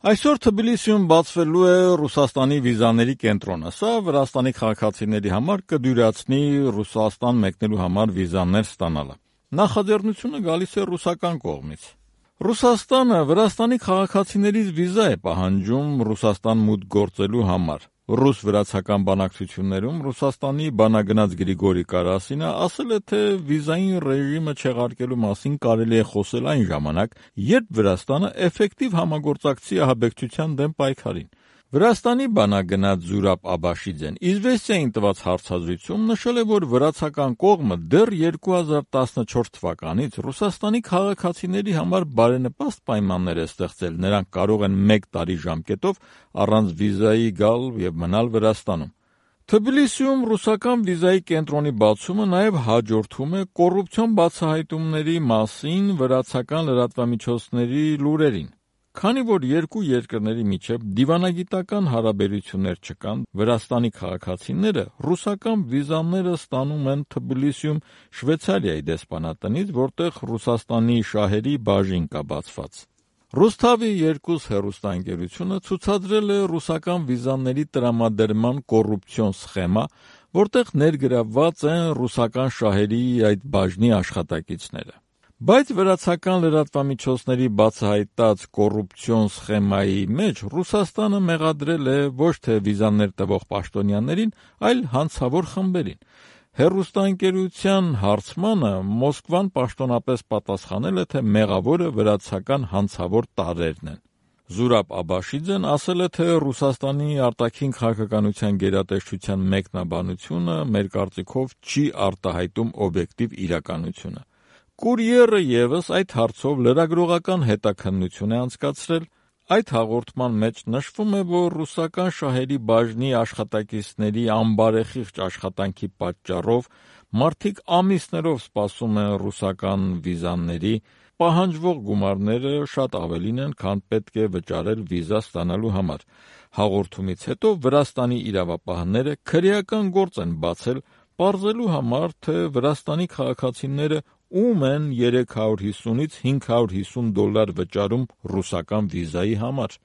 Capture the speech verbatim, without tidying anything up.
Այսօր Թբիլիսիում բացվելու է Ռուսաստանի վիզաների կենտրոնը։ Սա Վրաստանի քաղաքացիների համար կդյուրացնի Ռուսաստան մեկնելու համար վիզաներ ստանալը։ Նախաձեռնությունը գալիս է ռուսական կողմից։ Ռուսաստանը Վրաստանի քաղաքացիներից վիզա է պահանջում Ռուսաստան մուտք գործելու համար։ Ռուս-վրացական բանակցություններում Ռուսաստանի բանագնաց Գրիգորի Կարասինը ասել է, թե վիզային ռեժիմը չեղարկելու մասին կարելի է խոսել այն ժամանակ, երբ Վրաստանը էֆեկտիվ համագործակցի ահաբեկչության դեմ պայքարին։ Վրաստանի բանագնաց Զուրաբ Աբաշիձեն «Իզվեստիային» տված հարցազրույցում նշել է, որ վրացական կողմը դեռ երկու հազար տասնչորս թվականից Ռուսաստանի քաղաքացիների համար բարենպաստ պայմաններ է ստեղծել, նրանք կարող են մեկ տարի ժամկետով առանց վիզայի գալ և մնալ Վրաստանում։ Թբիլիսիում ռուսական վիզայի կենտրոնի բացումը նաև հաջորդում է կոռուպցիոն բացահայտումների մասին վրացական լրատվամիջոցների լուրերին։ Քանի որ երկու երկրների միջև դիվանագիտական հարաբերություններ չկան, Վրաստանի քաղաքացիները ռուսական վիզաները ստանում են Թբիլիսիում Շվեյցարիայի դեսպանատնից, որտեղ Ռուսաստանի շահերի բաժին կա բացված։ Ռուսթավի երկուս հեռուստաընկերությունը ցուցադրել է ռուսական վիզաների տրամադրման կոռուպցիոն սխեմա, որտեղ ներգրավված են ռուսական շահերի այդ բաժնի աշխատակիցները։ Բայց վրացական լրատվամիջոցների բացահայտած կոռուպցիոն սխեմայի մեջ Ռուսաստանը մեղադրել է ոչ թե վիզաներ տվող պաշտոնյաներին, այլ հանցավոր խմբերին։ Հեռուստաընկերության հարցմանը Մոսկվան պաշտոնապես պատասխանել է, թե մեղավորը վրացական հանցավոր տարրերն են։ Զուրաբ Աբաշիձեն ասել է, թե Ռուսաստանի արտաքին քաղաքականության գերատեսչության մեկնաբանությունը մեր կարծիքով չի արտահայտում օբյեկտիվ իրականությունը։ Կուրիերը ևս այդ հարցով լրագրողական հետաքննություն է անցկացրել։ Այդ հաղորդման մեջ նշվում է, որ ռուսական շահերի բաժնի աշխատակիցների անբարեխիղճ աշխատանքի պատճառով մարդիկ ամիսներով սպասում են ռուսական վիզաների, պահանջվող գումարները շատ ավելին են, քան պետք է վճարել վիզա ստանալու համար։ Հաղորդումից հետո Վրաստանի իրավապահները քրեական գործ են բացել, պարզելու համար, թե Վրաստանի քաղաքացիները ում են երեք հարյուր հիսունից հինգ հարյուր հիսուն դոլար վճարում ռուսական վիզայի համար։